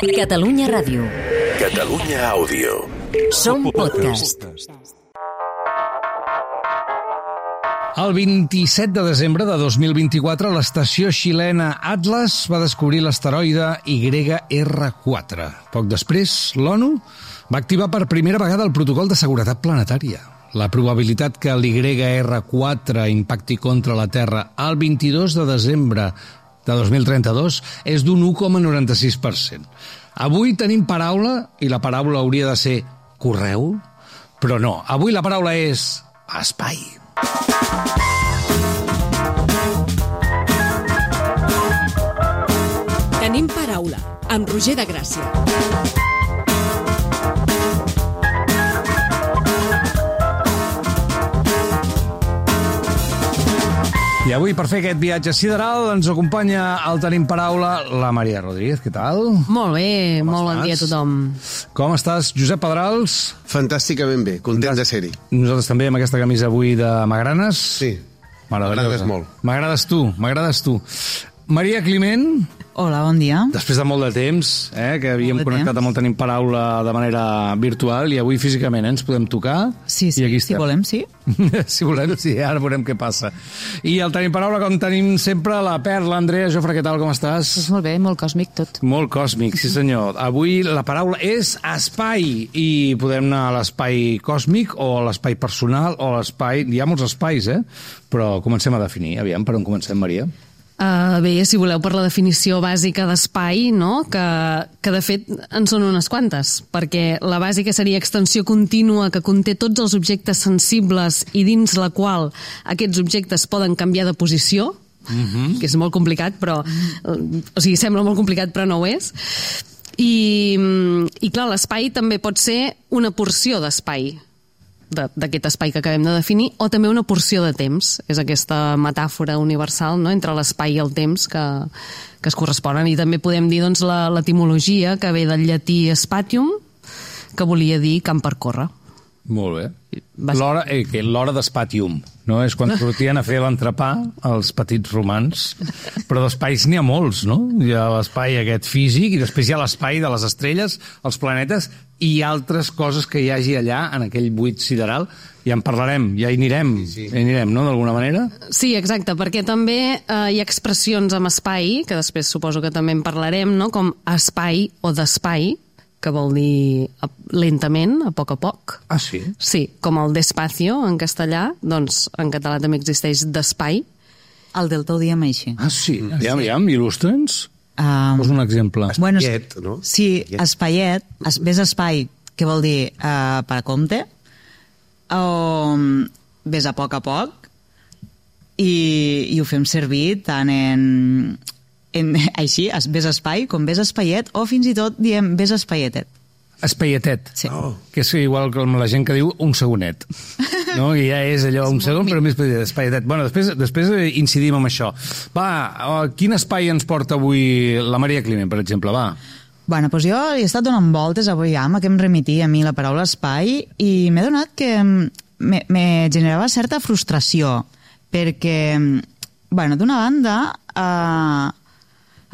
Catalunya Ràdio. Catalunya Àudio. Som podcast. El 27 de desembre de 2024, l'estació xilena Atlas va descobrir l'asteroide YR4. Poc després, l'ONU va activar per primera vegada el protocol de seguretat planetària. La probabilitat que l'YR4 impacti contra la Terra el 22 de desembre de 2032 és d'un 1,96%. Avui tenim paraula, i la paraula hauria de ser correu, però no. Avui la paraula és espai. Tenim paraula, amb Roger de Gràcia. I avui, per fer aquest viatge sideral, ens acompanya al Tenim Paraula la Maria Rodríguez. Què tal? Molt bé, molt bon dia a tothom. Com estàs, Josep Pedrals? Fantàsticament bé, content de ser-hi. Nosaltres també amb aquesta camisa avui de Magranes. Sí, m'agrades molt. M'agrades tu. Maria Climent. Hola, bon dia. Després de molt de temps, que havíem connectat amb el Tenim Paraula de manera virtual i avui físicament ens podem tocar. Sí, i aquí si volem, sí. Si volem, sí, ara veurem què passa. I el Tenim Paraula, com tenim sempre, la Perla, Andrea, Jofre, què tal, com estàs? Pues molt bé, molt còsmic tot. Molt còsmic, sí senyor. Avui la paraula és espai i podem anar a l'espai còsmic o a l'espai personal o a l'espai... Hi ha molts espais, però comencem a definir. Aviam, per on comencem, Maria? Bé, si voleu per la definició bàsica d'espai, no? que de fet en són unes quantes, perquè la bàsica seria extensió contínua que conté tots els objectes sensibles i dins la qual aquests objectes poden canviar de posició, que és molt complicat, però... O sigui, sembla molt complicat, però no ho és. I clar, l'espai també pot ser una porció d'espai, d'aquest espai que acabem de definir, o també una porció de temps. És aquesta metàfora universal, no?, entre l'espai i el temps que es corresponen. I també podem dir doncs, l'etimologia, que ve del llatí spatium, que volia dir camp per córrer. Molt bé. L'hora d'espatium, no? És quan sortien a fer l'entrepà els petits romans. Però d'espais n'hi ha molts, no? Hi ha l'espai aquest físic i després hi ha l'espai de les estrelles, els planetes i altres coses que hi hagi allà en aquell buit sideral. Ja en parlarem, ja hi anirem, no?, d'alguna manera? Sí, exacte, perquè també hi ha expressions amb espai, que després suposo que també en parlarem, no?, com espai o d'espai, que vol dir lentament, a poc. Ah, sí? Sí, com el despacio en castellà, doncs en català també existeix d'espai. El Delta ho diem així. Ah, sí? Aviam, il·lustra'ns. Posa un exemple. Espaiet, no? Sí, espaiet, ves espai, que vol dir per a compte, o ves a poc, i ho fem servir tant així, ves espai, com ves espaiet, o fins i tot diem ves espaietet. Espaietet, sí. Que és igual com la gent que diu un segonet, no? I ja és allò un segon, però més espaietet. Bueno, després incidim en això. Va, quin espai ens porta avui la Maria Climent, per exemple, va? Bueno, doncs jo he estat donant voltes avui a què em remitia a mi la paraula espai i m'he donat que me generava certa frustració, perquè, bueno, d'una banda,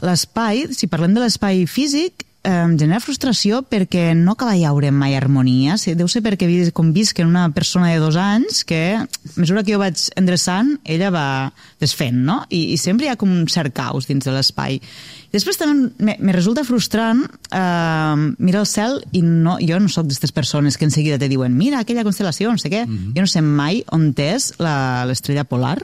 l'espai, si parlem de l'espai físic, em genera frustració perquè no acaba de haure mai harmonia. Deu ser perquè convisc en una persona de 2 anys que, a mesura que jo vaig endreçant, ella va desfent, no? I sempre hi ha com un cert caos dins de l'espai. Després també me resulta frustrant mirar el cel i jo no soc d'aquestes persones que en seguida te diuen mira aquella constel·lació, no sé què. Jo no sé mai on és l'estrella polar.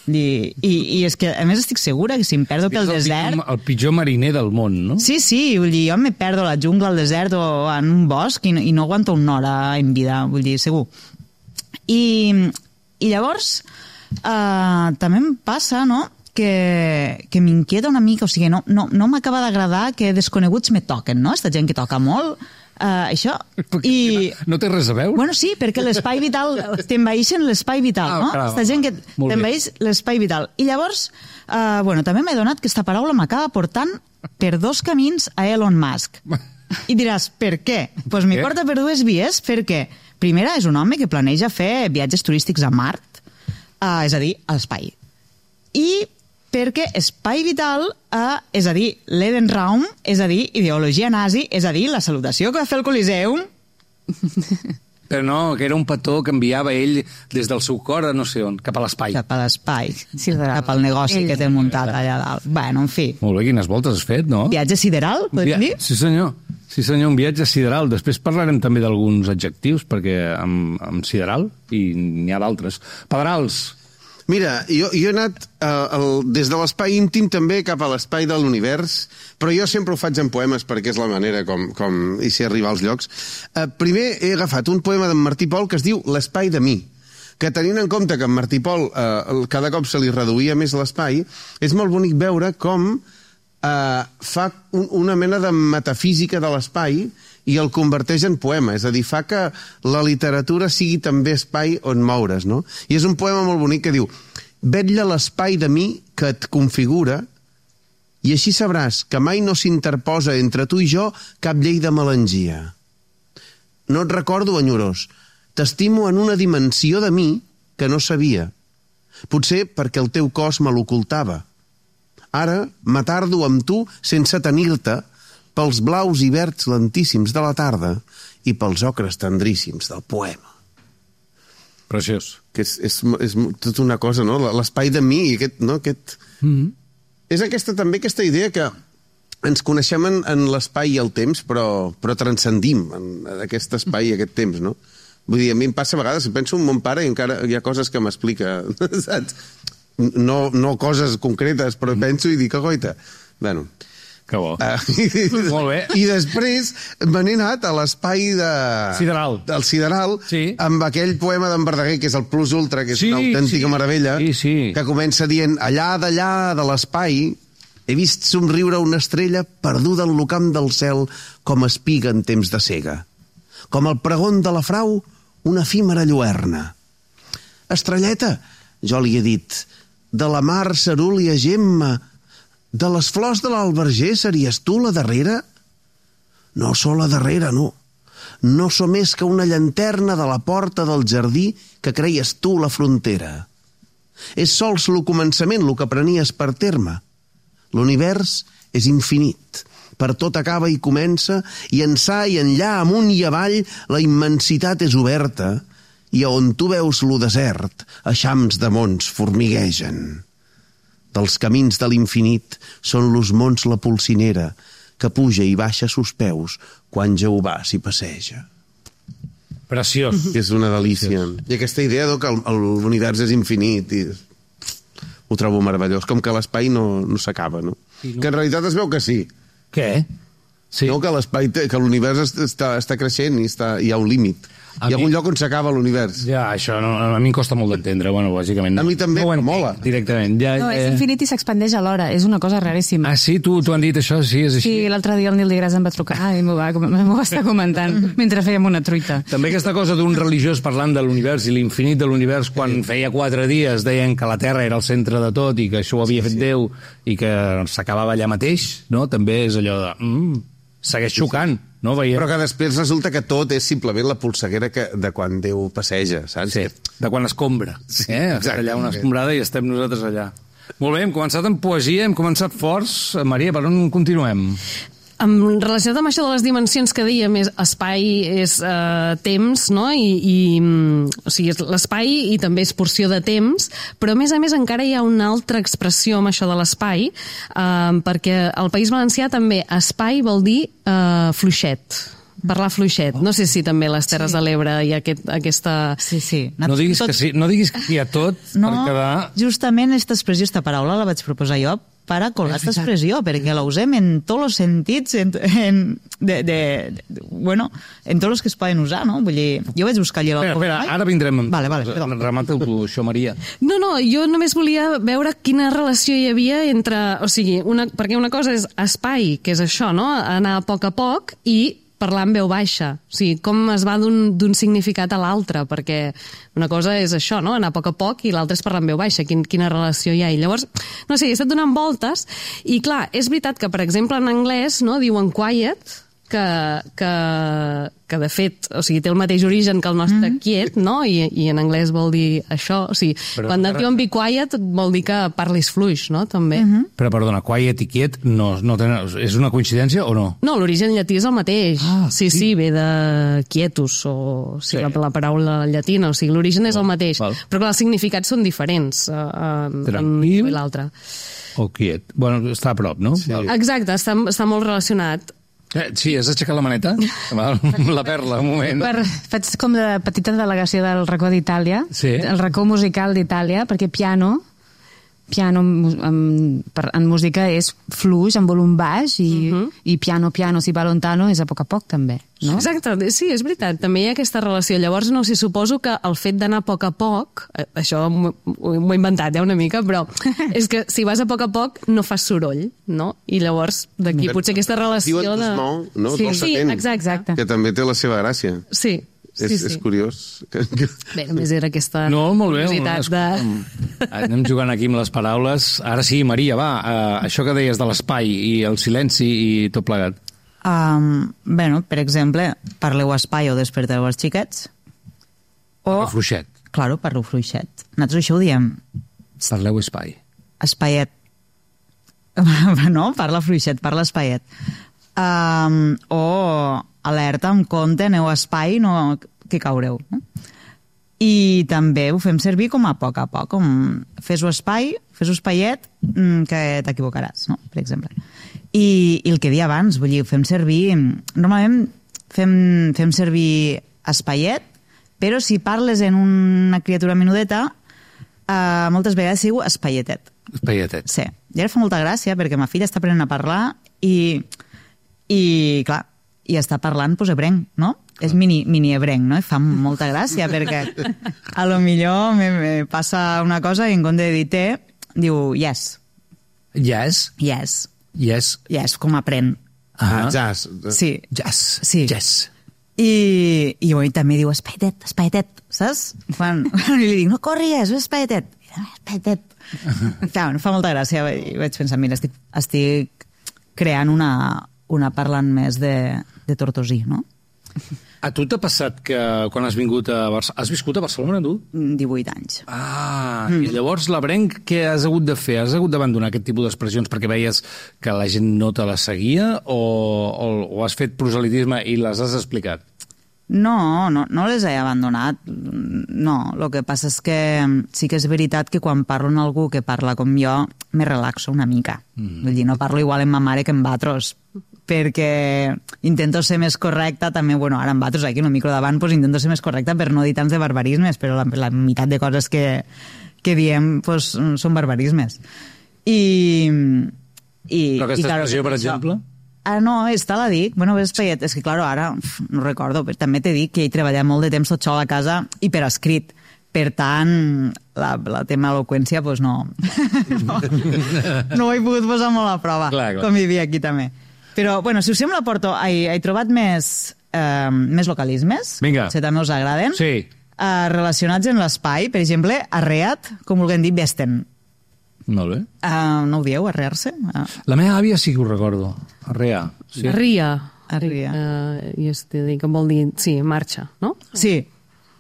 I és que, a més, estic segura que si em perdo pel desert... El pitjor mariner del món, no? Sí, vull dir, jo me perdo a la jungla, al desert o en un bosc i no aguanto una hora en vida, vull dir, segur. I llavors, també em passa, no?, que m'inquieta una mica, o sigui, no m'acaba d'agradar que desconeguts me toquen, no?, aquesta gent que toca molt... això i... No té res a veure? Bueno, sí, perquè l'espai vital t'envaeixen l'espai vital, no? Aquesta gent que t'envaeix l'espai vital. I llavors, també m'he donat que aquesta paraula m'acaba portant per 2 camins a Elon Musk. I diràs, per què? Doncs m'hi porta per 2 vies, perquè primera és un home que planeja fer viatges turístics a Mart, és a dir, a l'espai. I perquè espai vital, és a dir, Lebensraum, és a dir, ideologia nazi, és a dir, la salutació que va fer el Coliseum. Però no, que era un petó que enviava ell des del seu cor a no sé on, cap a l'espai. Cap a l'espai, cap al negoci que té muntat allà dalt. Bueno, en fi. Molt bé, quines voltes has fet, no? Viatge sideral, podem dir? Sí, senyor. Sí, senyor, un viatge sideral. Després parlarem també d'alguns adjectius, perquè amb sideral, i n'hi ha d'altres. Pedrals. Mira, jo he anat des de l'espai íntim també cap a l'espai de l'univers, però jo sempre ho faig en poemes perquè és la manera com hi sé arribar als llocs. Primer he agafat un poema d'en Martí Pol que es diu L'espai de mi, que tenint en compte que en Martí Pol cada cop se li reduïa més l'espai, és molt bonic veure com fa una mena de metafísica de l'espai i el converteix en poema, és a dir, fa que la literatura sigui també espai on moure's, no? I és un poema molt bonic que diu: vetlla l'espai de mi que et configura i així sabràs que mai no s'interposa entre tu i jo cap llei de melangia. No et recordo enyorós, t'estimo en una dimensió de mi que no sabia, potser perquè el teu cos me l'ocultava. Ara m'atardo amb tu sense tenir-te pels blaus i verds lentíssims de la tarda i pels ocres tendríssims del poema. Preciós. Que és tota una cosa, no? L'espai de mi, aquest... És també aquesta idea que ens coneixem en l'espai i el temps, però transcendim en aquest espai i aquest temps, no? Vull dir, a mi em passa a vegades, penso en mon pare i encara hi ha coses que m'explica, saps? No coses concretes, però penso i dic, coita. Bueno... Que bo. Molt bé. I després me n'he anat a l'espai Sideral. Del Sideral, sí. Amb aquell poema d'en Verdaguer, que és el Plus Ultra, que és una autèntica meravella, que comença dient: allà d'allà de l'espai he vist somriure una estrella perduda en l'ocam del cel com espiga en temps de cega. Com el pregon de la frau, una efímera lluerna. Estrelleta, jo li he dit, de la mar cerúlia gemma, de les flors de l'alberger series tu la darrera? No sóc la darrera, no. No sóc més que una llanterna de la porta del jardí que creies tu la frontera. És sols lo començament lo que prenies per terme. L'univers és infinit. Per tot acaba i comença, i ençà i enllà, amunt i avall, la immensitat és oberta, i on tu veus lo desert, eixams de mons formiguegen. Dels camins de l'infinit són los mons la polsinera que puja i baixa sus peus quan Jehovà s'hi passeja. Preciós. És una delícia. I aquesta idea que l'univers és infinit i ho trobo meravellós, com que l'espai no s'acaba, no? Que en realitat es veu que sí. Què? Sí. No, que l'espai, que l'univers està creixent i hi ha un límit. Hi ha algun lloc on s'acaba l'univers. Ja, això a mi em costa molt d'entendre, bueno, bàsicament. A mi també, no mola. Directament. Ja, no, és infinit i s'expandeix alhora, és una cosa raríssima. Ah, sí? Tu han dit això? Sí, és així? Sí, l'altre dia el Nil deGrasse em va trucar i m'ho va estar comentant mentre fèiem una truita. També aquesta cosa d'un religiós parlant de l'univers i l'infinit de l'univers, quan feia 4 dies deien que la Terra era el centre de tot i que això ho havia fet Déu i que s'acabava allà mateix, no? També és allò de... segueix xocant, no? Però que després resulta que tot és simplement la polseguera de quan Déu passeja, saps? Sí, de quan escombra. Sí, allà una escombrada i estem nosaltres allà. Molt bé, hem començat amb poesia, hem començat forts. Maria, per on continuem? Relacionat amb això de les dimensions que dèiem, espai és temps, no? O sigui, l'espai i també és porció de temps, però a més encara hi ha una altra expressió amb això de l'espai, perquè al País Valencià també espai vol dir fluixet. Parlar fluixet. No sé si també a les Terres de l'Ebre hi ha aquesta... Sí. No diguis que sí, no diguis que hi ha tot per quedar... Justament aquesta expressió, aquesta paraula la vaig proposar jo per a colar aquesta expressió, perquè la usem en tots els sentits, en tots els que es poden usar, no? Vull dir, jo vaig buscar allò... Espera, ara vindrem... Vale, remata tu això, Maria. No, jo només volia veure quina relació hi havia entre... O sigui, perquè una cosa és espai, que és això, no? Anar a poc, i parlar en veu baixa. O sigui, com es va d'un significat a l'altre, perquè una cosa és això, no? Anar a poc i l'altra és parlar en veu baixa. Quina relació hi ha? I llavors, no sé, he estat donant voltes i clar, és veritat que, per exemple, en anglès, no, diuen quiet, que de fet, o sigui, té el mateix origen que el nostre quiet, no? I en anglès vol dir això, o sigui, quan et diuen be quiet vol dir que parlis fluix, no? També. Però, perdona, quiet i quiet no tenen... És una coincidència o no? No, l'origen llatí és el mateix. Sí, ve de quietus, o sigui, la paraula llatina, o sigui, l'origen és el mateix. Però clar, els significats són diferents en i l'altre. O quiet. Bueno, està a prop, no? Sí. Exacte, està molt relacionat. Sí, has aixecat la maneta? La perla, un moment. Faig com de petita delegació del racó d'Itàlia, el racó musical d'Itàlia, perquè piano en música és fluix, en volum baix, i piano, si va lontano, és a poc també, no? Exacte, sí, és veritat, també hi ha aquesta relació. Llavors, no sé, suposo que el fet d'anar a poc, això m'ho he inventat una mica, però és que si vas a poc no fas soroll, no? I llavors, d'aquí potser aquesta relació de... Diuen no? Sí, exacte. Que també té la seva gràcia. Sí. És curiós. Bé, només era aquesta curiositat de... Anem jugant aquí amb les paraules. Ara sí, Maria, va, això que deies de l'espai i el silenci i tot plegat. Bueno, per exemple, parleu espai o desperteu els xiquets. Parleu fluixet. Claro, parleu fluixet. Nosaltres això ho diem. Parleu espai. Espaiet. No, parla fluixet, parla espaiet. O alerta, amb compte, aneu a espai, no que caureu. No? I també ho fem servir com a poc, com fes-ho espai, fes-ho espaiet, que t'equivocaràs, no? Per exemple. I el que deia abans, vull dir, fem servir... Normalment fem servir espaiet, però si parles en una criatura menudeta, moltes vegades diu espaietet. Espaietet. Sí. I ara fa molta gràcia, perquè ma filla està aprenent a parlar i clar, i està parlant ebrenc, no? És mini ebrenc, no? I fa molta gràcia, perquè a lo millor me passa una cosa i en compte de dir té, diu yes. Yes? Yes. Yes. Yes, com aprèn. Jazz. Sí. Jazz. Sí. Yes. I ell també diu espaietet, saps? I li dic, no corris, espaietet. Espaietet. Clar, fa molta gràcia. I vaig pensar, mira, estic creant una parlant més de tortosí, no? A tu t'ha passat que quan has vingut a Barcelona... Has viscut a Barcelona, tu? 18 anys. I llavors l'abrenc què has hagut de fer? Has hagut d'abandonar aquest tipus d'expressions perquè veies que la gent no te la seguia o has fet proselitisme i les has explicat? No les he abandonat. No, el que passa és que sí que és veritat que quan parlo amb algú que parla com jo, me relaxo una mica. Vull dir, no parlo igual amb ma mare que amb altres, perquè intento ser més correcta també, bueno, ara amb altres aquí en el micro davant pues intento ser més correcta per no dir tants de barbarismes, però la meitat de coses que diem pues, són barbarismes. Però aquesta expressió, per exemple? No, esta la dic. Bueno, és que, claro, ara no recordo, però també t'he dit que he treballat molt de temps tot sol a casa i per escrit. Per tant, la tema eloqüència, pues no ho he pogut posar molt a prova, clar. Com vivia aquí també. Però, bueno, si us sembla, he trobat més localismes. Vinga. Si també us agraden. Sí. Relacionats en l'espai, per exemple, arreat, com vulguem dir, vesten. Molt bé. No ho dieu, arrear-se? La meva àvia sí que ho recordo. Arrear. Sí. Arria. I que vol dir, sí, marxa, no? Sí,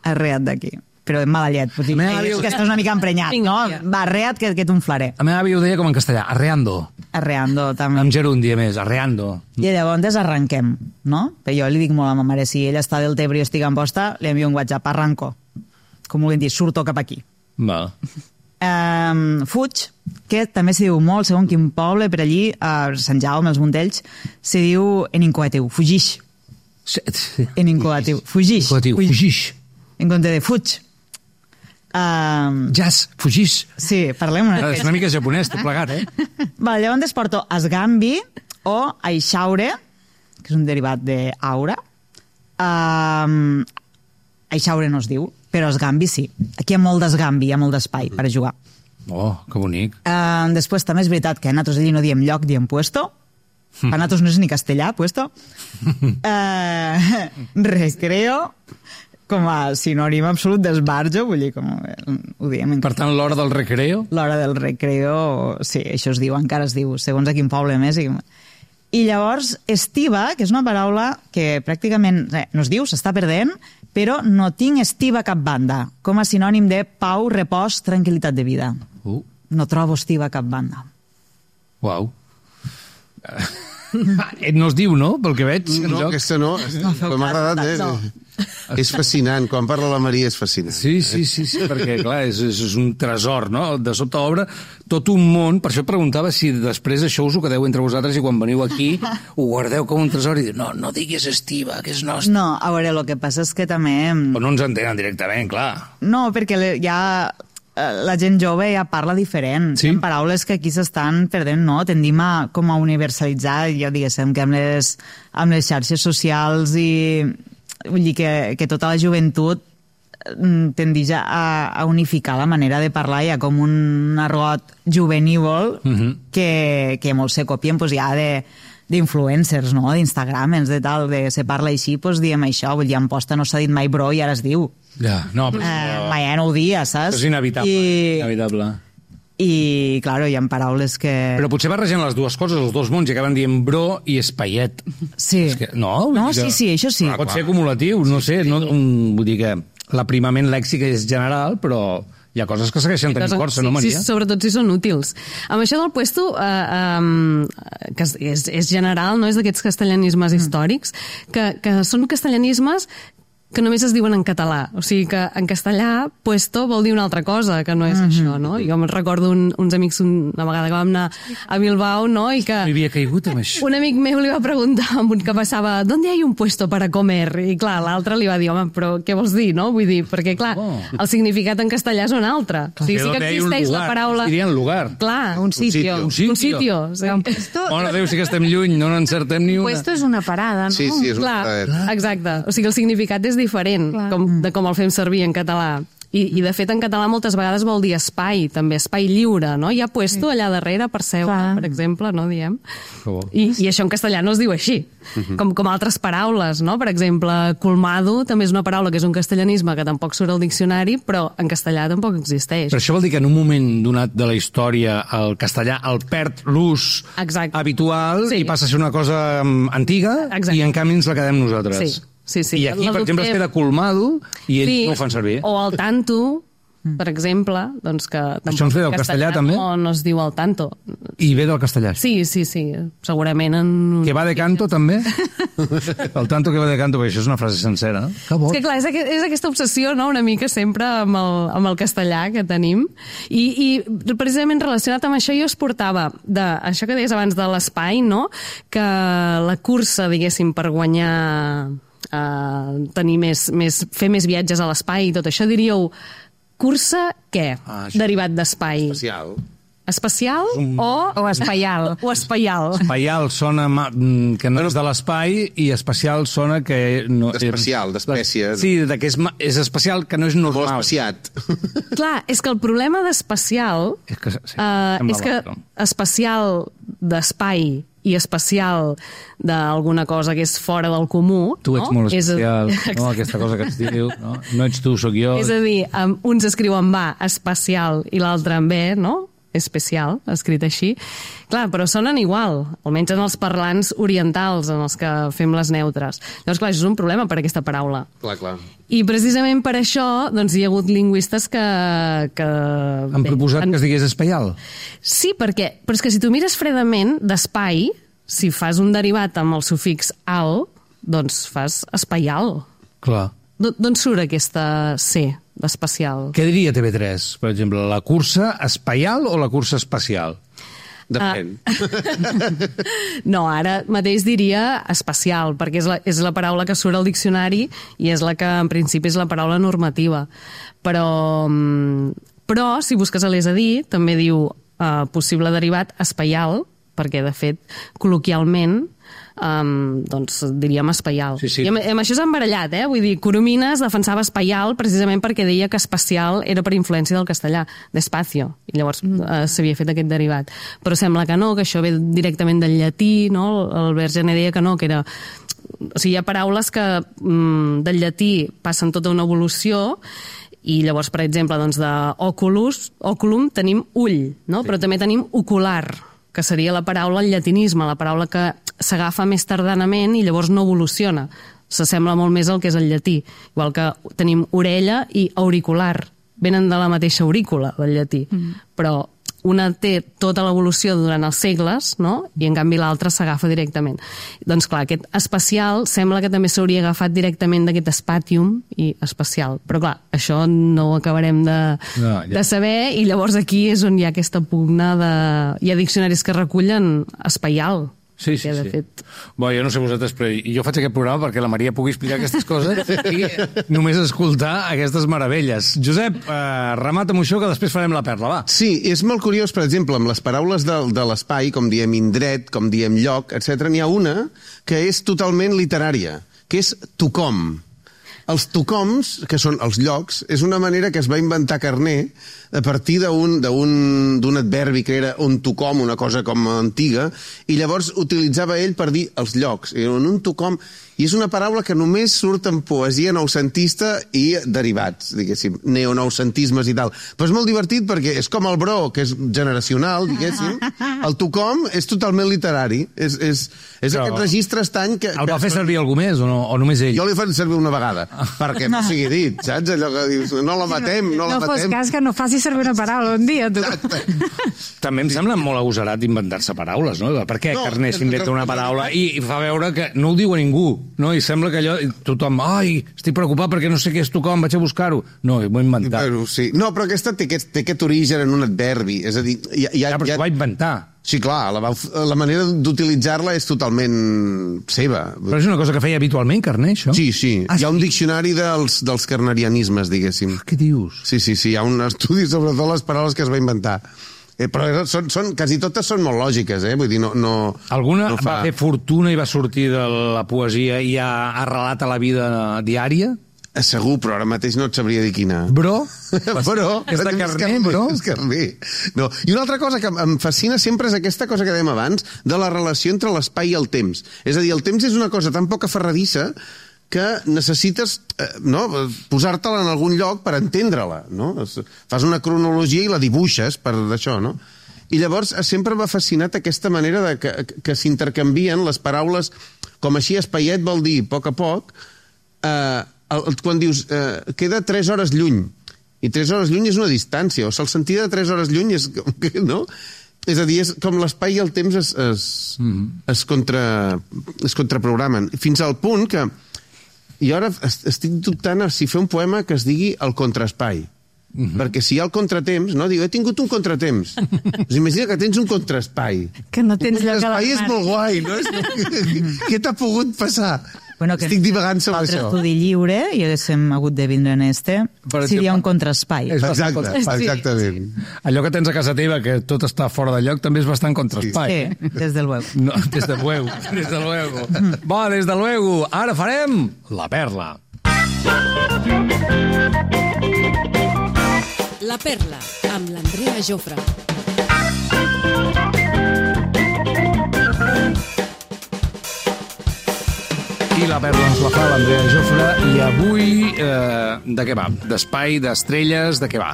arreat d'aquí. Però en mala llet. Que estàs una mica emprenyat, no? Va, arreat que t'unflaré. La meva àvia ho deia com en castellà, arreando. Arreando, també. Amb gerundi, a més, arreando. I llavors arrenquem, no? Però jo li dic molt a ma mare, si ella està del Tebre i estic en posta, li envio un WhatsApp, arranco. Com vulguin dir, surto cap aquí. Val. Fuig, que també s'hi diu molt, segons quin poble, per allí, a Sant Jaume, els Montells, s'hi diu en incoatiu, fugix. En incoatiu, fugix. Fugix. En compte de fuig. Jazz, fugix. Sí, parlem una mica. És una mica japonès, tot plegat, Vale, llavors porto esgambi o aixaure, que és un derivat d'aura. Aixaure no es diu, però esgambi sí. Aquí hi ha molt d'esgambi, hi ha molt d'espai per jugar. Oh, que bonic. Després també és veritat que nosaltres allí no diem lloc, diem puesto. Per nosaltres no és ni castellà, puesto. Recreo, com a sinònim absolut d'esbarjo, vull dir, com ho diem. Per tant, l'hora del recreo? L'hora del recreo, sí, això es diu, encara es diu, segons a quin poble més. I llavors, estiva, que és una paraula que pràcticament no es diu, s'està perdent, però no tinc estiva a cap banda, com a sinònim de pau, repòs, tranquil·litat de vida. No trobo estiva a cap banda. Uau. No es diu, no? Pel que veig. No, aquesta no. M'ha agradat, És fascinant. Quan parla la Maria és fascinant. Sí, perquè, clar, és un tresor, no? De sobte obre tot un món. Per això et preguntava si després això us ho quedeu entre vosaltres i quan veniu aquí ho guardeu com un tresor i diu, no diguis estiva, que és nostre. No, a veure, el que passa és que també... O no ens entenen directament, clar. No, perquè ja... la gent jove ja parla diferent. Sí? Hi ha paraules que aquí s'estan perdent, no? Tendim a com a universalitzar, jo diguéssim, que amb les xarxes socials i... Vull dir que tota la joventut tendeix a unificar la manera de parlar. Hi ha com un argot juvenívol que molts se copien ja d'influencers, no? D'Instagramers, de tal, de se parla així, doncs diem això. Vull dir, en posta no s'ha dit mai bro i ara es diu. Ja, no, però... mai ja no ho dia, saps? És inevitable. I, claro, hi ha paraules que... Però potser barregen les dues coses, els dos mons, i acaben dient bro i espaiet. Sí. No, sí, això sí. Pot ser acumulatiu, no sé. Vull dir que l'aprimament lèxic és general, però hi ha coses que segueixen tenint força, no, Maria? Sí, sobretot si són útils. Amb això del puesto, que és general, no és d'aquests castellanismes històrics, que són castellanismes que només es diuen en català. O sigui que en castellà puesto vol dir una altra cosa, que no és això, no? Jo me'n recordo uns amics una vegada que vam anar a Bilbao, no? I que... No havia caigut amb això. Un amic meu li va preguntar amb un que passava ¿dónde hay un puesto para comer? I clar, l'altre li va dir, home, però què vols dir, no? Vull dir, perquè clar, el significat en castellà és un altre. O sigui, sí que existeix la paraula... Dirien lugar. Clar. Un sitio. Un sitio. Bona Déu, sí que estem lluny, no n'encertem ni una. Puesto és una parada, no? Sí, és una parada. Exacte. O sigui, el significat és diferent de com el fem servir en català. I de fet, en català moltes vegades vol dir espai, també, espai lliure, no? Hi ha puesto allà darrere per seure, per exemple, no diem? I això en castellà no es diu així, com altres paraules, no? Per exemple, colmado també és una paraula que és un castellanisme que tampoc surt al diccionari, però en castellà tampoc existeix. Però això vol dir que en un moment donat de la història el castellà el perd l'ús habitual i passa a ser una cosa antiga i en canvi ens la quedem nosaltres. Sí. I aquí, per exemple, es queda colmado i ells no ho fan servir. O el tanto, per exemple, doncs que... Això ens ve del castellà, també? No es diu el tanto. I ve del castellà? Sí, segurament. Que va de canto, també? El tanto que va de canto, perquè això és una frase sencera. Que bo. És que, clar, és aquesta obsessió, no?, una mica sempre amb el castellà que tenim. I precisament relacionat amb això jo es portava això que deies abans de l'espai, no?, que la cursa, diguéssim, per guanyar... fer més viatges a l'espai i tot això, diríeu cursa què? Derivat d'espai. Espacial o espaial? O espaial. Espaial sona que no és de l'espai i espacial sona que... D'especial, d'espècie. Sí, que és espacial, que no és normal. Molt espaciat. Clar, és que el problema d'espacial és que espacial d'espai i especial d'alguna cosa que és fora del comú... Tu ets molt especial, no? Aquesta cosa que ens diu, no? No ets tu, sóc jo. És a dir, uns escriuen va, espacial, i l'altre en B, no? Especial, escrit així. Clar, però sonen igual, almenys en els parlants orientals, en els que fem les neutres. Llavors, clar, això és un problema per aquesta paraula. Clar. I precisament per això doncs, hi ha hagut lingüistes que han proposat que es digués espaial. Sí, però és que si tu mires fredament d'espai, si fas un derivat amb el sufix al, doncs fas espaial. Clar. D'on surt aquesta C d'espacial? Què diria TV3, per exemple? La cursa espaial o la cursa espacial? Depèn. No, ara mateix diria espacial, perquè és la paraula que surt al diccionari i és la que en principi és la paraula normativa. Però si busques a l'és a dir, també diu possible derivat espaial, perquè de fet, col·loquialment, doncs diríem espaial. Sí. I amb això s'ha embarallat, vull dir, Coromines defensava espaial precisament perquè deia que espacial era per influència del castellà, d'espacio, i llavors s'havia fet aquest derivat. Però sembla que no, que això ve directament del llatí, no? El Vergene deia que no, que era... O sigui, hi ha paraules que del llatí passen tota una evolució i llavors, per exemple, doncs, d'oculus, oculum, tenim ull, no? Però també tenim ocular. que seria la paraula el llatinisme, la paraula que s'agafa més tardanament i llavors no evoluciona. S'assembla molt més al que és el llatí. Igual que tenim orella i auricular. Venen de la mateixa aurícula, del llatí. Però una té tota l'evolució durant els segles, no? I en canvi l'altra s'agafa directament. Doncs clar, aquest espacial sembla que també s'hauria agafat directament d'aquest spatium i espacial. Però clar, això no ho acabarem de saber i llavors aquí és on hi ha aquesta pugna de... Hi ha diccionaris que recullen espaial. Sí. Bé, jo no sé vosaltres, però jo faig aquest programa perquè la Maria pugui explicar aquestes coses i només escoltar aquestes meravelles. Josep, remata'm això que després farem la perla, va. Sí, és molt curiós, per exemple, amb les paraules de l'espai, com diem indret, com diem lloc, etc. N'hi ha una que és totalment literària, que és tocom. Els tocoms, que són els llocs, és una manera que es va inventar Carner a partir d'un adverbi que era un tocom, una cosa com antiga, i llavors utilitzava ell per dir els llocs. En un tocom... I és una paraula que només surt en poesia noucentista i derivats, diguéssim, neonoucentismes i tal. Però és molt divertit perquè és com el bro, que és generacional, diguéssim. El tocom és totalment literari. És aquest registre estany que... El va fer servir algú més o només ell? Jo l'he fet servir una vegada, perquè no sigui dit, saps? Allò que dius, no la matem, no la matem. No fos cas que no faci servir una paraula un dia, tu. També em sembla molt agosarat inventar-se paraules, no? Per què Carner s'inventa una paraula i fa veure que no ho diu a ningú? No, i sembla que allò, tothom, estic preocupat perquè no sé què és tocom, vaig a buscar-ho. No, ho he inventat. Però, sí. No, però aquesta té aquest origen en un adverbi, és a dir... Però ho va inventar. Sí, clar, la manera d'utilitzar-la és totalment seva. Però és una cosa que feia habitualment, Carner, això? Sí. Hi ha un diccionari dels carnerianismes, diguéssim. Què dius? Sí, hi ha un estudi sobre totes les paraules que es va inventar. Però quasi totes són molt lògiques, vull dir, no... Alguna va fer fortuna i va sortir de la poesia i ha arrelat a la vida diària? Segur, però ara mateix no et sabria dir quina. Bro? Bro? És de Carner, bro? És Carner. No. I una altra cosa que em fascina sempre és aquesta cosa que dèiem abans de la relació entre l'espai i el temps. És a dir, el temps és una cosa tan poc aferradissa que necessites posar-te-la en algun lloc per entendre-la, no? Fas una cronologia i la dibuixes per d'això, no? I llavors sempre m'ha fascinat aquesta manera que s'intercanvien les paraules, com així espaiet vol dir poc a poc, quan dius queda 3 hores lluny, i 3 hores lluny és una distància, o el sentit de 3 hores lluny és, no? És a dir, és com l'espai i el temps es contraprogramen, fins al punt que i ara estic dubtant si fer un poema que es digui el contraespai. Perquè si hi ha el contratemps, no? Diu, he tingut un contratemps. Doncs imagina que tens un contraespai. Que no tens lloc a la l'espai és molt guai, no? Què t'ha pogut passar? Bueno, estic divagant sobre això. L'estudi lliure, i haguéssim hagut de vindre en seria un contraespai. Exactament. Allò que tens a casa teva, que tot està fora de lloc, també és bastant contraespai. Sí, des de luego. No, des de luego. Va, des de luego. Ara farem la perla. La perla, amb l'Andrea Jofre. I la perla ens la fa l'Andrea Jofre. I avui, de què va? D'espai, d'estrelles, de què va?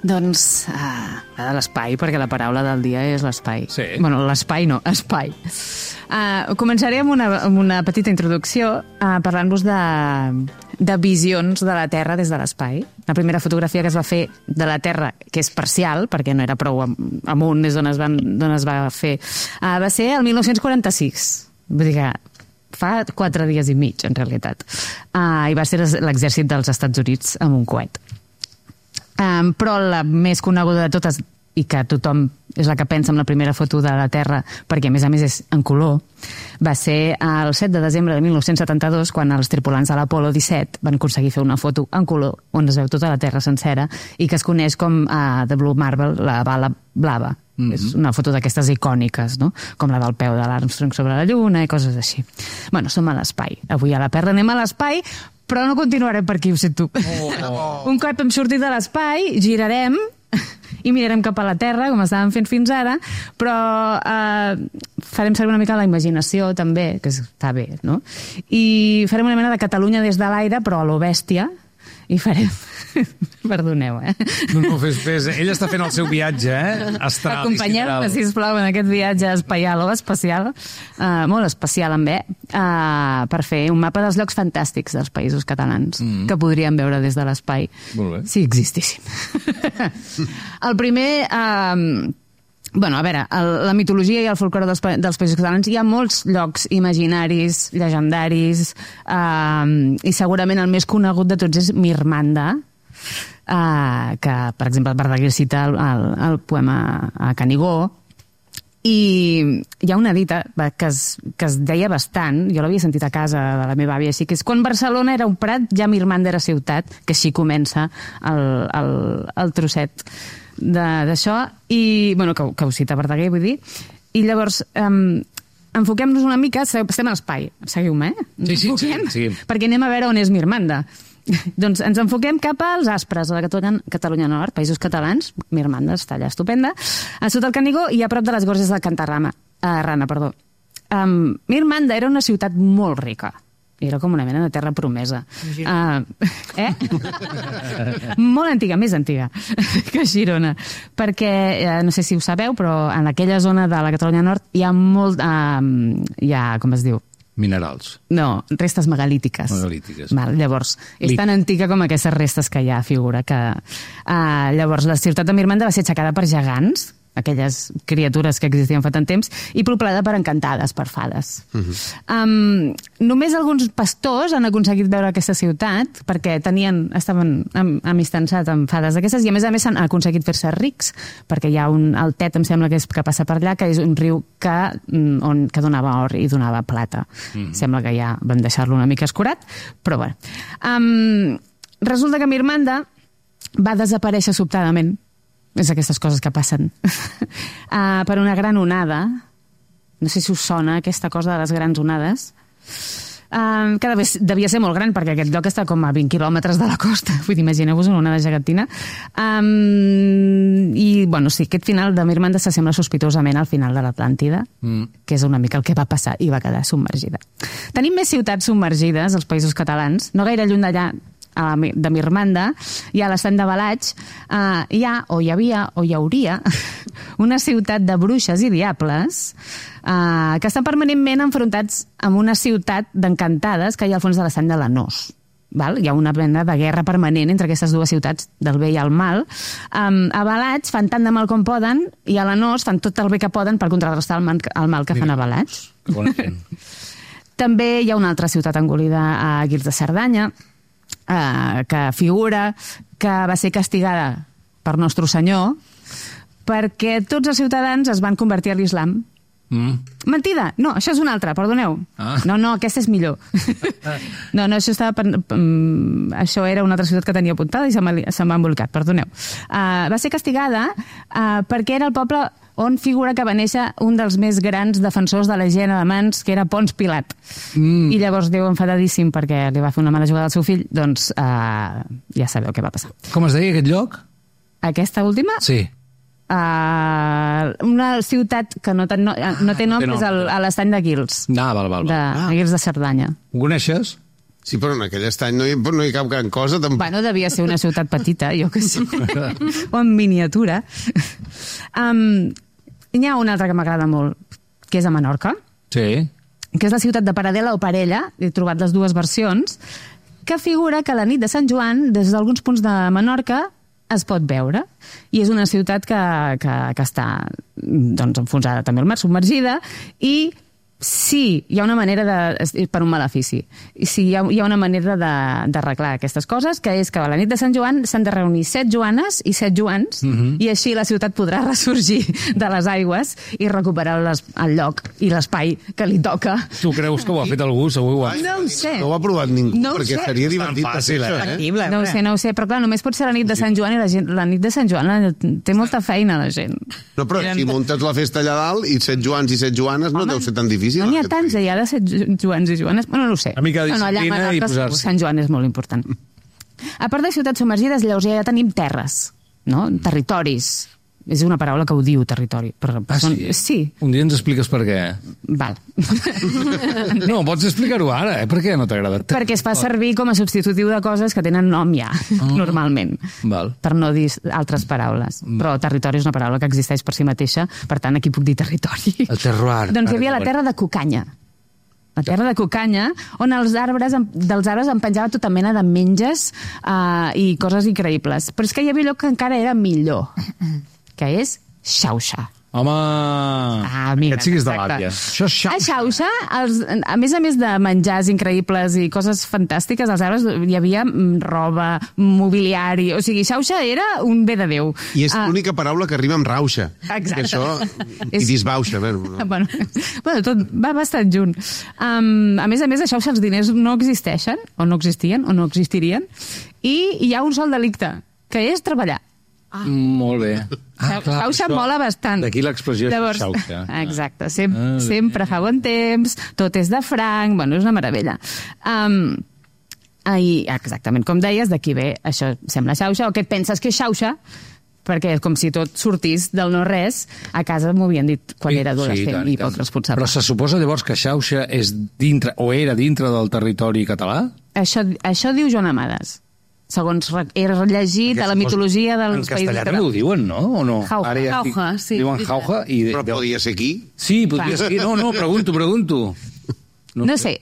Doncs de l'espai, perquè la paraula del dia és l'espai. Sí. Bueno, l'espai no, espai. Començaré amb una petita introducció parlant-vos de visions de la Terra des de l'espai. La primera fotografia que es va fer de la Terra, que és parcial, perquè no era prou amunt, és d'on es va fer, va ser el 1946. Vull dir que fa 4 dies i mig, en realitat. I va ser l'exèrcit dels Estats Units amb un coet. Però la més coneguda de totes, i que tothom és la que pensa en la primera foto de la Terra, perquè a més és en color, va ser el 7 de desembre de 1972, quan els tripulants de l'Apolo 17 van aconseguir fer una foto en color, on es veu tota la Terra sencera, i que es coneix com The Blue Marble, la bala blava. És una foto d'aquestes icòniques, no? Com la del peu de l'Armstrong sobre la Lluna i coses així. Bueno, som a l'espai. Avui a la perla anem a l'espai, però no continuarem per aquí, ho sento. Un cop hem sortit de l'espai, girarem i mirarem cap a la Terra, com estàvem fent fins ara, però farem servir una mica la imaginació, també, que està bé, no? I farem una mena de Catalunya des de l'aire, però a lo bèstia, i farem... Perdoneu, No fes pes. Ell està fent el seu viatge, astral. Acompanyeu-me, sisplau, en aquest viatge espacial, molt especial en per fer un mapa dels llocs fantàstics dels països catalans que podríem veure des de l'espai si existissin. El primer... Bueno, a veure, la mitologia i el folclore dels països catalans, hi ha molts llocs imaginaris, llegendaris, i segurament el més conegut de tots és Mirmanda, que, per exemple, Verdaguer cita el poema a Canigó, i hi ha una dita que es deia bastant, jo l'havia sentit a casa de la meva àvia, així que és: quan Barcelona era un prat, ja Mirmanda era ciutat, que així comença el trosset d'això, i bueno, que ho cita Verdaguer, vull dir. I llavors enfoquem-nos una mica, estem a l'espai, seguiu-me, Sí. perquè anem a veure on és Mirmanda. Doncs ens enfoquem cap als Aspres, a la Catalunya Nord, països catalans. Mirmanda està allà estupenda, a sota el Canigó i a prop de les Gorges del Cantarrana. Mirmanda era una ciutat molt rica. Era com una mena de terra promesa. Molt antiga, més antiga que Girona. Perquè, no sé si ho sabeu, però en aquella zona de la Catalunya Nord hi ha molt... com es diu? Minerals. No, restes megalítiques. Val, llavors, és tan antiga com aquestes restes que hi ha, figura que... Llavors, la ciutat de Mirmanda va ser aixecada per gegants, aquelles criatures que existien fa tant temps, i poblada per encantades, per fades. Només alguns pastors han aconseguit veure aquesta ciutat, perquè estaven amistançats amb fades d'aquestes, i a més han aconseguit fer-se rics, perquè hi ha el Tet, em sembla que passa per allà, que és un riu que donava or i donava plata. Sembla que ja van deixar-lo una mica escurat, però bé. Resulta que Mirmanda va desaparèixer sobtadament. És aquestes coses que passen. Per una gran onada. No sé si us sona aquesta cosa de les grans onades. Que devia ser molt gran, perquè aquest lloc està com a 20 quilòmetres de la costa. Vull dir, imagineu-vos una onada gegantina. I, bueno, sí, aquest final de Mirmanda s'assembla sospitosament al final de l'Atlàntida, que és una mica el que va passar i va quedar submergida. Tenim més ciutats submergides als països catalans, no gaire lluny d'allà, de Mirmanda, hi ha l'estany de Balatx, hi havia o hi hauria una ciutat de bruixes i diables que estan permanentment enfrontats amb una ciutat d'encantades que hi ha al fons de l'estany de Lanós. Hi ha una mena de guerra permanent entre aquestes dues ciutats, del bé i el mal. A Balatx fan tant de mal com poden i a Lanós fan tot el bé que poden per contrarrestar el mal que fan a Balatx. També hi ha una altra ciutat engolida a Guils de Cerdanya, que figura que va ser castigada per Nostre Senyor perquè tots els ciutadans es van convertir a l'islam. Mentida! No, això és una altra, perdoneu. No, aquesta és millor. No, això era una altra ciutat que tenia apuntada i se m'ha embolicat, perdoneu. Va ser castigada perquè era el poble on figura que va néixer un dels més grans defensors de la higiene de mans, que era Pons Pilat. I llavors Déu, enfadadíssim perquè li va fer una mala jugada al seu fill, doncs ja sabeu què va passar. Com es deia aquest lloc? Aquesta última? Sí. Una ciutat que no té nom, és a l'estany de Guils. Val. De Guils de Cerdanya. Ho coneixes? Sí, però en aquell estany no hi cap gran cosa, tampoc. Bueno, devia ser una ciutat petita, jo que sé. O en miniatura. N'hi ha una altra que m'agrada molt, que és a Menorca. Sí. Que és la ciutat de Paradela o Parella, he trobat les dues versions, que figura que la nit de Sant Joan, des d'alguns punts de Menorca, es pot veure. I és una ciutat que està enfonsada també al mar, submergida, i sí, hi ha una manera per un malefici. Sí, hi ha una manera d'arreglar aquestes coses, que és que a la nit de Sant Joan s'han de reunir 7 Joanes i 7 Joans, i així la ciutat podrà ressorgir de les aigües i recuperar el lloc i l'espai que li toca. Tu creus que ho ha fet algú? Segur. No ho sé. No ho ha provat ningú, perquè seria divertit fàcil, No ho sé, però clar, només pot ser la nit de Sant Joan, i la nit de Sant Joan té molta feina la gent. No, però si muntes la festa allà dalt i 7 Joans i 7 Joanes no deu ser tan difícil. No n'hi ha tants, hi ha de ser Joans i Joanes. Bueno, no ho sé. Una mica de disciplina i posar-se. Sant Joan és molt important. A part de ciutats submergides, llavors ja tenim terres, no? Territoris És una paraula que odio, territori. Sí? Sí. Un dia ens expliques per què. Val. No, pots explicar-ho ara, Per què no t'agrada? Perquè es fa servir com a substitutiu de coses que tenen nom ja, normalment. Val. Per no dir altres paraules. Però territori és una paraula que existeix per si mateixa, per tant, aquí puc dir territori. El terroir. Doncs hi havia la terra de Cucanya. La terra de Cucanya, on dels arbres en penjava tota mena de menges i coses increïbles. Però és que hi havia allò que encara era millor, que és Xauxa. Home, amiga, aquest sí que és de exacte. l'àvia. Això és A Xauxa, a més de menjars increïbles i coses fantàstiques, als arbres hi havia roba, mobiliari... O sigui, Xauxa era un bé de Déu. I és l'única paraula que arriba amb rauxa. Exacte. Això, i disbauxa. Bueno, tot va bastant junt. A més, a Xauxa els diners no existeixen, o no existien, o no existirien, i hi ha un sol delicte, que és treballar. Molt bé. Xauxa mola bastant. D'aquí l'expressió xauxa. Exacte, sempre fa bon temps, tot és de franc, bueno, és una meravella. Exactament, com deies, d'aquí ve, això sembla xauxa, o què et penses que és xauxa? Perquè és com si tot sortís del no-res. A casa m'ho havien dit quan era adolescent i poc responsable. Però se suposa llavors que xauxa és dintre, o era dintre del territori català? Això diu Joan Amades. Segons he llegit a la mitologia dels països... En castellà també ho diuen, no? O no? Jauja, sí. Diuen jauja i... Però podria ser aquí? Sí, podria ser aquí. No, pregunto. No sé,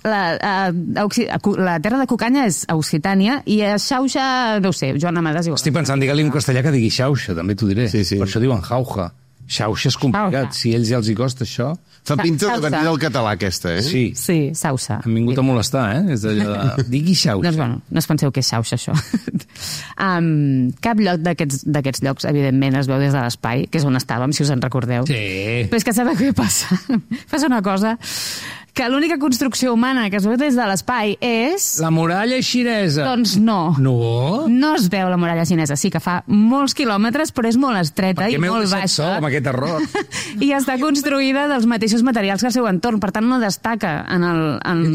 la terra de Cucanya és a Occitània i a Xauxa, no ho sé, Joan Amades igual. Estic pensant, digue-li un castellà que digui xauxa, també t'ho diré. Sí. Per això diuen jauja. Xauxa és complicat. Si a ells ja els hi costa això... Fa pinta de venir del català, aquesta, Sí, Xauxa. Han vingut a molestar, És d'allò de... Digui xauxa. Doncs, bueno, no es penseu que és xauxa, això. Cap lloc d'aquests llocs, evidentment, es veu des de l'espai, que és on estàvem, si us en recordeu. Sí. Però és que sabeu què passa? Passa una cosa, que l'única construcció humana que es veu des de l'espai és... La muralla xinesa. Doncs no. No? No es veu la muralla xinesa. Sí que fa molts quilòmetres, però és molt estreta i molt baixa. Sol, amb aquest error. I està construïda dels mateixos materials que el seu entorn, per tant no destaca en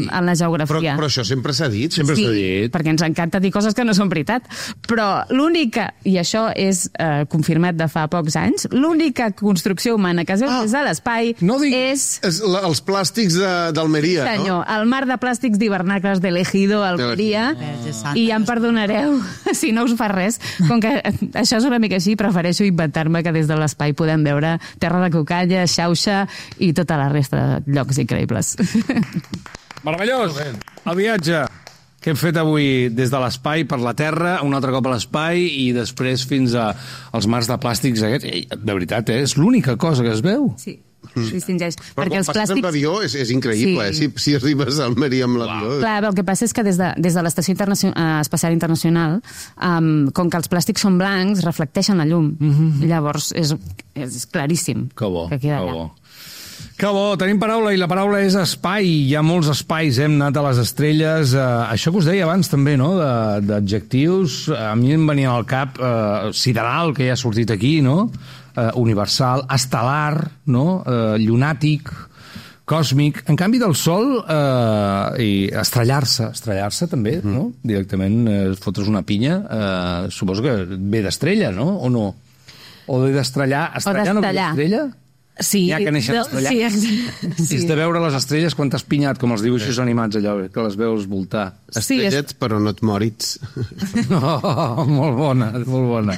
la geografia. Però això sempre s'ha dit. Sempre s'ha dit. Perquè ens encanta dir coses que no són veritat. Però l'única, i això és confirmat de fa pocs anys, l'única construcció humana que es veu des de l'espai és... Els plàstics d'Almeria, no? Senyor, el mar de plàstics d'hivernacles de l'Ejido, Almeria, i ja em perdonareu si no us fa res. Com que això és una mica així, prefereixo inventar-me que des de l'espai podem veure terra de Cucanya, Xauxa i tota la resta de llocs increïbles. Meravellós! El viatge que hem fet avui des de l'espai per la Terra, un altre cop a l'espai i després fins als mars de plàstics aquests. De veritat, és l'única cosa que es veu. Sí. Distingeix. Però quan passes amb l'avió és increïble, si arribes a Almeria amb l'avió. Clar, el que passa és que des de l'Estació Espacial Internacional, com que els plàstics són blancs, reflecteixen la llum. Llavors és claríssim que bo, que queda allà. Que bo, tenim paraula i la paraula és espai. Hi ha molts espais, hem anat a les estrelles. Això que us deia abans també, no?, d'adjectius. A mi em venia al cap sideral, que ja ha sortit aquí, no?, universal, estel·lar, no?, llunàtic, còsmic. En canvi del sol, i estrellar-se també, no?, directament fotre's una pinya, suposo que ve d'estrella, no?, o no? O ve d'estrellar, estrellar no ve d'estrella? Sí. Ja que neixen estrellats. Sí. És de veure les estrelles quan t'has pinyat, com els dibuixos animats allò, que les veus voltar. Estrellats, però no et morits. Oh, molt bona, molt bona.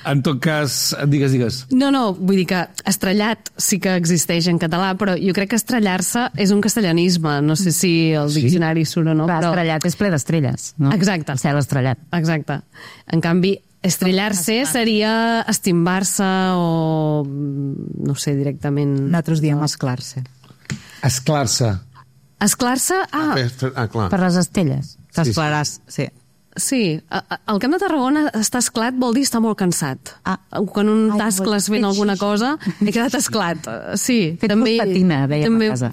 En tot cas, digues. No, vull dir que estrellat sí que existeix en català, però jo crec que estrellar-se és un castellanisme. No sé si el diccionari surt o no. Clar, però... estrellat és ple d'estrelles, no? Exacte. El cel estrellat. Exacte. En canvi, estrellar-se seria estimbar-se o, no sé, directament... Nosaltres diem esclar-se. Esclar-se. Esclar-se? Clar. Per les estelles. T'esclaràs, sí. Sí, el Camp de Tarragona està esclat vol dir estar molt cansat. Quan un t'escles fent alguna cosa, he quedat esclat. Sí, fet també... patina, dèiem a casa.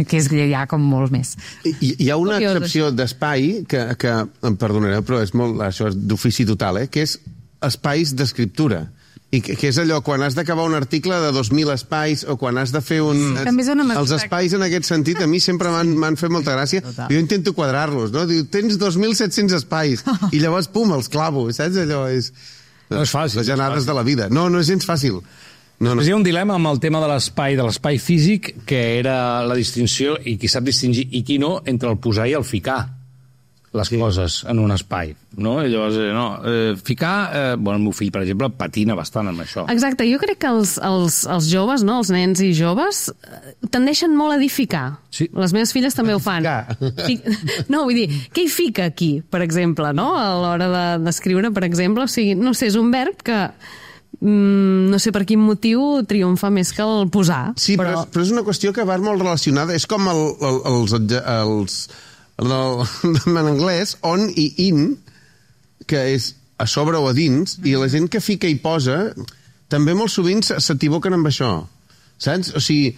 Que és ja com molt més. Hi ha una excepció d'espai que em perdonareu, però és molt, això és d'ofici total, que és espais d'escriptura. I que és allò, quan has d'acabar un article de 2.000 espais o quan has de fer un... Els espais en aquest sentit a mi sempre m'han fet molta gràcia. Jo intento quadrar-los, no? Diu, tens 2.700 espais i llavors, pum, els clavo, saps? Allò és... No és fàcil. Les anades de la vida. No és gens fàcil. No. Hi ha un dilema amb el tema de l'espai físic, que era la distinció, i qui sap distingir i qui no, entre el posar i el ficar les coses en un espai, no? I llavors, ficar... el meu fill, per exemple, patina bastant amb això. Exacte, jo crec que els joves, no? Els nens i joves, tendeixen molt a dir ficar. Sí. Les meves filles també ho fan. No, vull dir, què hi fica aquí, per exemple, no? A l'hora d'escriure, per exemple, o sigui, no sé, és un verb que... no sé per quin motiu triomfa més que el posar. Sí, però és una qüestió que va molt relacionada. És com en anglès, on i in, que és a sobre o a dins, i la gent que fica i posa també molt sovint s'equivoquen amb això, saps? O sigui,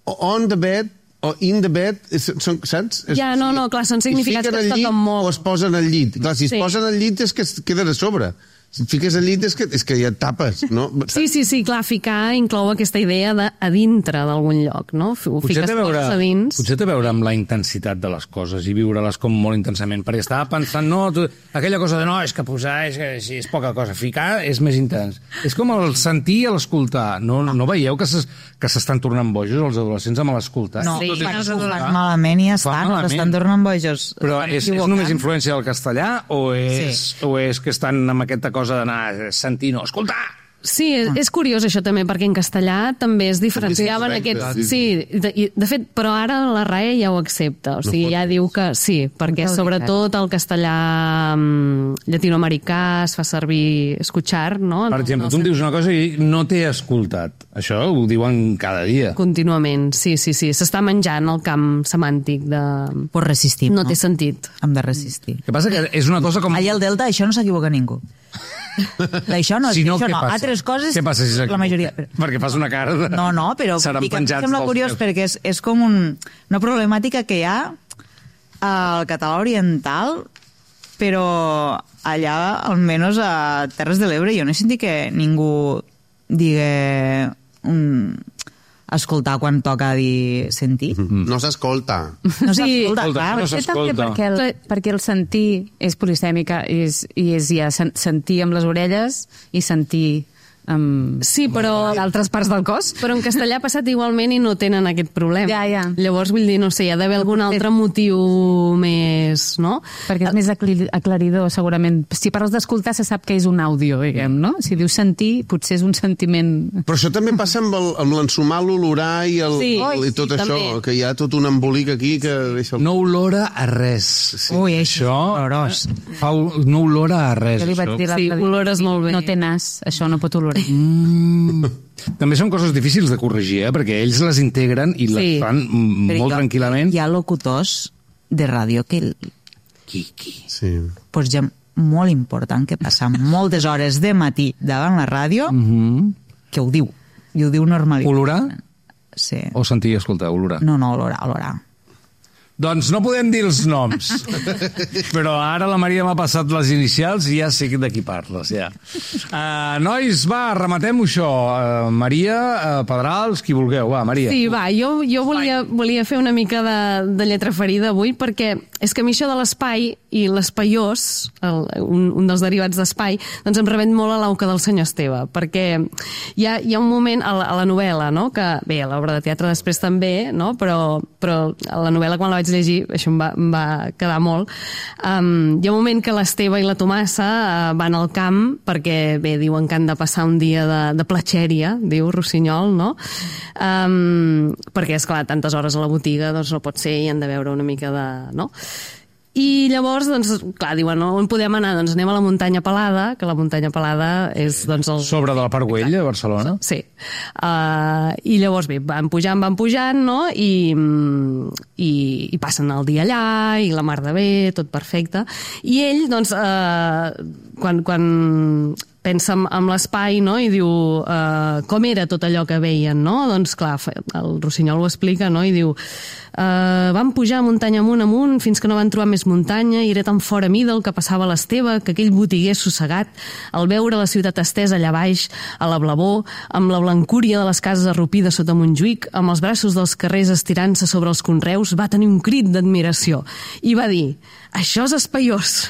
on the bed o in the bed, saps? Ja, no, clar, són significats que es toquen molt. O es posen al llit. Clar, si es posen al llit és que es queden a sobre. Si et fiques al llit és que ja et tapes, no? Sí, clar, ficar inclou aquesta idea de a dintre d'algun lloc, no? Potser té a veure amb la intensitat de les coses i viure-les com molt intensament, perquè estava pensant, aquella cosa de és que posar és poca cosa, ficar és més intens. És com el sentir i l'escoltar. No veieu que s'estan tornant bojos els adolescents amb l'escoltar? No, malament i estan tornant bojos. Però és només influència del castellà o és que estan amb aquesta cosa d'anar sentint o escoltar? Sí, és curiós això també, perquè en castellà també es diferenciaven aquests... Sí, de fet, però ara la RAE ja ho accepta, o sigui, ja diu que sí, perquè sobretot el castellà llatinoamericà es fa servir escuchar, no? Per exemple, tu em dius una cosa i no t'he escoltat. Això ho diuen cada dia. Contínuament, sí. S'està menjant el camp semàntic de... Pues resistim, no té sentit. Hem de resistir. El que passa que és una cosa com... Allà al Delta això no s'equivoca ningú. Això no, si no, això no. Altres coses, què passa si la majoria... Perquè fas una cara de... No, però em sembla curiós perquè és com una problemàtica que hi ha al català oriental, però allà, almenys a Terres de l'Ebre, jo no he sentit que ningú digui escoltar quan toca dir sentir. No s'escolta. No s'escolta, clar. No s'escolta. Perquè el sentir és polisèmica i és ja sentir amb les orelles i sentir amb altres parts del cos. Però en castellà ha passat igualment i no tenen aquest problema. Ja. Llavors, vull dir, no sé, hi ha d'haver algun altre motiu més, no? Perquè és més aclaridor, segurament. Si parles d'escoltar, se sap que és un àudio, diguem, no? Si dius sentir, potser és un sentiment... Però això també passa amb l'ensumar, l'olorar i tot això, també. Que hi ha tot un embolic aquí que deixa... No olora a res. Sí. Ui, això... Olorós. No olora a res. Jo li vaig dir l'altre dia. Olores molt bé. No té nas, això no pot olorar. També són coses difícils de corregir, perquè ells les integren i les fan molt tranquil·lament. Hi ha locutors de ràdio que... Sí. Pues ja molt important que passa moltes hores de matí davant la ràdio que ho diu. I ho diu normalment. Olorar? Sí. O sentir i escoltar, olorar? No, olorar. Doncs no podem dir els noms, però ara la Maria m'ha passat les inicials i ja sé de qui parles, ja. Nois, va, rematem-ho això. Maria, Pedrals, qui vulgueu. Va, Maria. Sí, va, jo volia fer una mica de lletra ferida avui, perquè és que a mi això de l'espai i l'espaiós, un dels derivats d'espai, doncs em remet molt a l'auca del senyor Esteve, perquè hi ha un moment a la novel·la, no?, que, bé, a l'obra de teatre després també, no?, però a la novel·la quan la vaig llegir, això em va quedar molt. Hi ha un moment que l'Esteve i la Tomassa van al camp perquè, bé, diuen que han de passar un dia de platxèria, diu Rossinyol, no? Perquè, esclar, tantes hores a la botiga doncs no pot ser i han de veure una mica de... no? I llavors, doncs, clar, diuen, no, on podem anar? Doncs anem a la muntanya Pelada, que la muntanya Pelada és, doncs... Sobre de la Part Güell, a Barcelona? Sí. I llavors, bé, van pujant, no?, i passen el dia allà, i la mar de bé, tot perfecte. I ell, doncs, quan pensa en l'espai, no?, i diu com era tot allò que veien, no? Doncs, clar, el Rossinyol ho explica, no?, i diu Van pujar muntanya amunt fins que no van trobar més muntanya i era tan fora mida el que passava a l'Esteve que aquell botiguer sossegat, al veure la ciutat estesa allà baix, a la blavor, amb la blancúria de les cases arrupides sota Montjuïc, amb els braços dels carrers estirant-se sobre els conreus, va tenir un crit d'admiració i va dir: això és espaiós.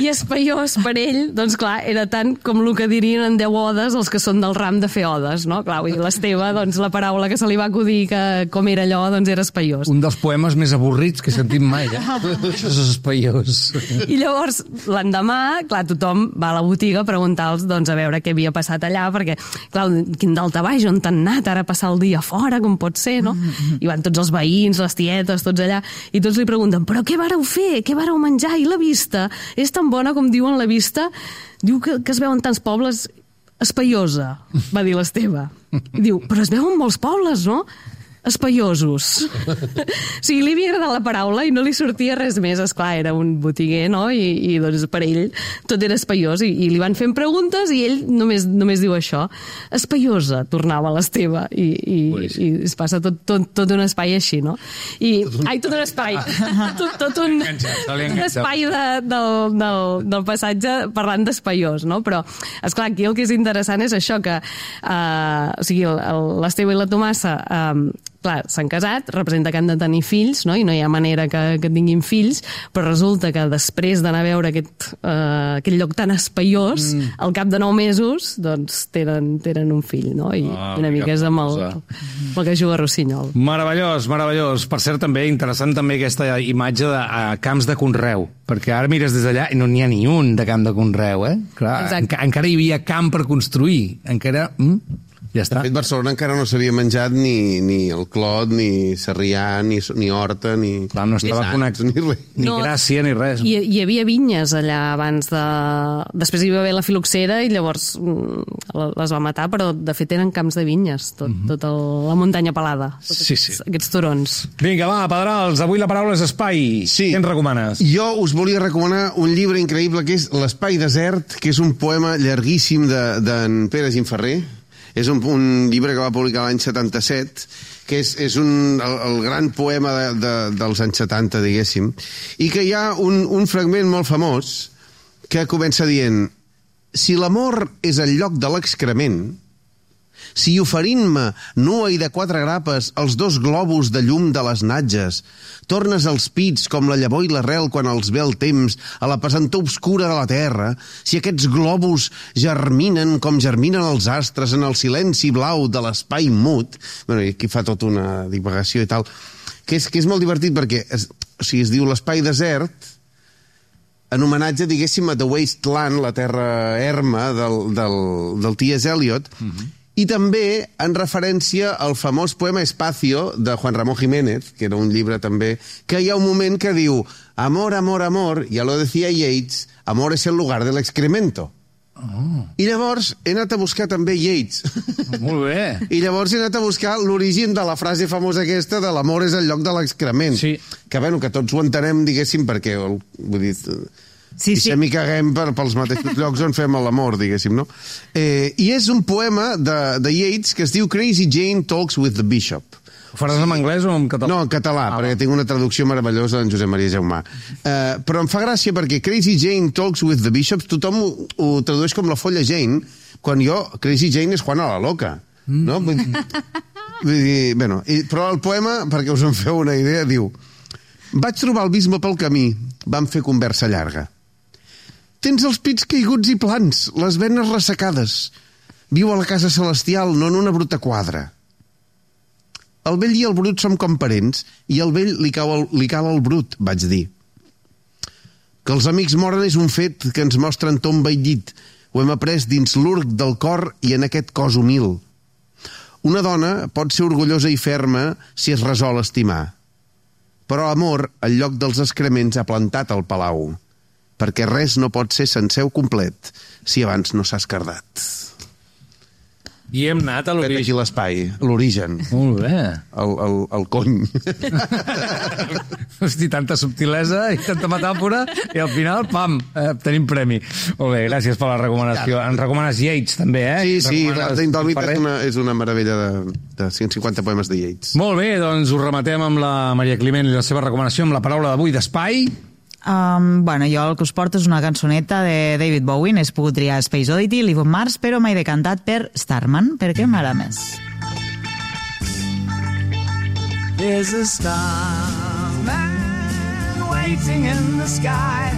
I espaiós per ell, doncs clar, era tant com el que dirien en 10 odes els que són del ram de fer odes, no? Clar, vull dir, l'Esteve, doncs la paraula que se li va acudir que com era allò, doncs era espaiós. Un dels poemes més avorrits que he sentit mai, Això és espaiós. I llavors, l'endemà, clar, tothom va a la botiga a preguntar-los, doncs, a veure què havia passat allà, perquè, clar, quin daltabaix, on t'han anat ara a passar el dia fora, com pot ser, no? I van tots els veïns, les tietes, tots allà, i tots li pregunten: però què vareu fer? Què vareu menjar? I la vista? És tan bona com diuen la vista? Diu que es veuen tants pobles. Espaiosa, va dir l'Esteve. I diu: però es veuen molts pobles, no? Espaiosos. O sigui, li havia agradat la paraula i no li sortia res més. Esclar, era un botiguer, no? I doncs per ell tot era espaiós i li van fent preguntes i ell només diu això. Espaiosa, tornava l'Esteve i es passa tot un espai així, no? Tot un espai. Tot un espai del passatge parlant d'espaiós, no? Però, esclar, aquí el que és interessant és això, que o sigui, l'Esteve i la Tomasa clar, s'han casat, representa que han de tenir fills, no? I no hi ha manera que tinguin fills, però resulta que després d'anar a veure aquest lloc tan espaiós, al cap de 9 mesos, doncs tenen un fill, no? I una mica és amb el que juga Rossinyol. Meravellós, meravellós. Per cert, també interessant també aquesta imatge de camps de conreu, perquè ara mires des d'allà i no n'hi ha ni un de camp de conreu, Clar, encara hi havia camp per construir, encara... Ja està. De fet, Barcelona encara no s'havia menjat ni el Clot, ni Sarrià, ni Horta, ni... Clar, no estava connectat, ni Gràcia, ni res. Hi havia vinyes allà abans de... Després hi va haver la filoxera i llavors les va matar, però de fet eren camps de vinyes, tota la muntanya pelada, aquests turons. Vinga, va, Pedrals, avui la paraula és espai. Sí. Què ens recomanes? Jo us volia recomanar un llibre increïble que és L'Espai Desert, que és un poema llarguíssim d'en Pere Gimferrer. És un llibre que va publicar l'any 77, que és el gran poema dels anys 70, diguéssim, i que hi ha un fragment molt famós que comença dient: si l'amor és el lloc de l'excrement, si oferint-me nua i de 4 grapes els 2 globus de llum de les natges, tornes als pits com la llavor i l'arrel quan els ve el temps a la pesantor obscura de la terra, si aquests globus germinen com germinen els astres en el silenci blau de l'espai mut... Bueno, i aquí fa tota una divagació i tal, que és molt divertit perquè es diu L'Espai Desert en homenatge, diguéssim, a The Wasteland, la terra erma del T.S. Eliot, i també en referència al famós poema Espacio de Juan Ramón Jiménez, que era un llibre també, que hi ha un moment que diu: amor, amor, amor, ja lo decía Yeats, amor es el lugar del excremento. I llavors he anat a buscar també Yeats. Molt bé. I llavors he anat a buscar l'origen de la frase famosa aquesta de l'amor és el lloc de l'excrement. Sí. Que, bueno, que tots ho entenem, diguéssim, perquè, vull dir... Sí. I caguem pels mateixos llocs on fem l'amor, diguéssim, no? I és un poema de Yeats que es diu Crazy Jane Talks with the Bishop. Ho faràs en anglès o en català? No, en català, perquè tinc una traducció meravellosa d'en Josep Maria Jaumà. Però em fa gràcia perquè Crazy Jane Talks with the Bishop tothom ho tradueix com la folla Jane, quan Crazy Jane és Juana la Loca, no? Vull dir, bueno, però el poema, perquè us en feu una idea, diu: vaig trobar el bisbe pel camí, vam fer conversa llarga. Tens els pits caiguts i plans, les venes ressecades. Viu a la casa celestial, no en una bruta quadra. El vell i el brut som com parents, i al vell li cal el brut, vaig dir. Que els amics moren és un fet que ens mostren tomba i llit. Ho hem après dins l'urg del cor i en aquest cos humil. Una dona pot ser orgullosa i ferma si es resol estimar. Però l'amor, al lloc dels excrements, ha plantat el palau, perquè res no pot ser sencer o complet si abans no s'ha escardat. I hem anat a l'origen. Aquí l'espai, l'origen. Molt bé. El cony. Hosti, tanta subtilesa i tanta metàfora, i al final, pam, tenim premi. Molt bé, gràcies per la recomanació. Ens recomanes Yeats, també, Sí, l'Art Indòlmit és una meravella de 150 poemes de Yeats. Molt bé, doncs us rematem amb la Maria Climent i la seva recomanació amb la paraula d'avui d'espai. Jo el que us porto és una cançoneta de David Bowie. N'he pogut triar Space Oddity, Live on Mars, però m'he decantat per Starman, perquè m'agrada més. There's a starman waiting in the sky.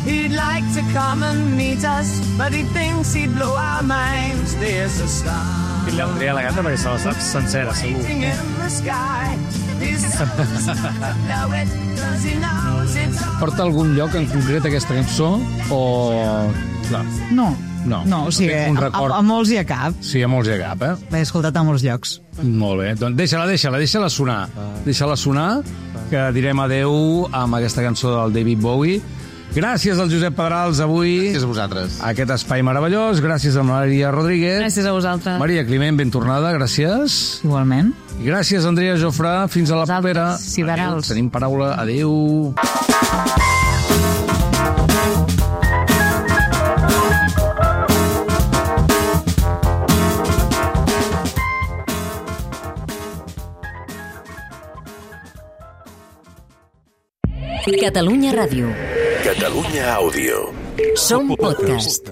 He'd like to come and meet us, but he thinks he'd blow our minds. There's a starman I l'Andrea la canta perquè se la saps sencera, segur. waiting in the sky. He's supposed to know it, 'cause he knows it's all. Porta algun lloc en concret aquesta cançó? O... Clar. No, o sigui, a molts hi ha cap. Sí, a molts hi ha cap, L'he escoltat a molts llocs. Molt bé, doncs deixa-la sonar. Deixa-la sonar, que direm adeu amb aquesta cançó del David Bowie. Gràcies al Josep Pedrals avui. Gràcies a vosaltres. Aquest espai meravellós. Gràcies a Maria Rodríguez. Gràcies a vosaltres. Maria Climent, ben tornada, gràcies. Igualment. I gràcies, Andrea Jofre. Fins a la propera. Ciberals. Tenim paraula. Adeu. Catalunya Ràdio. Catalunya Àudio. Som podcast.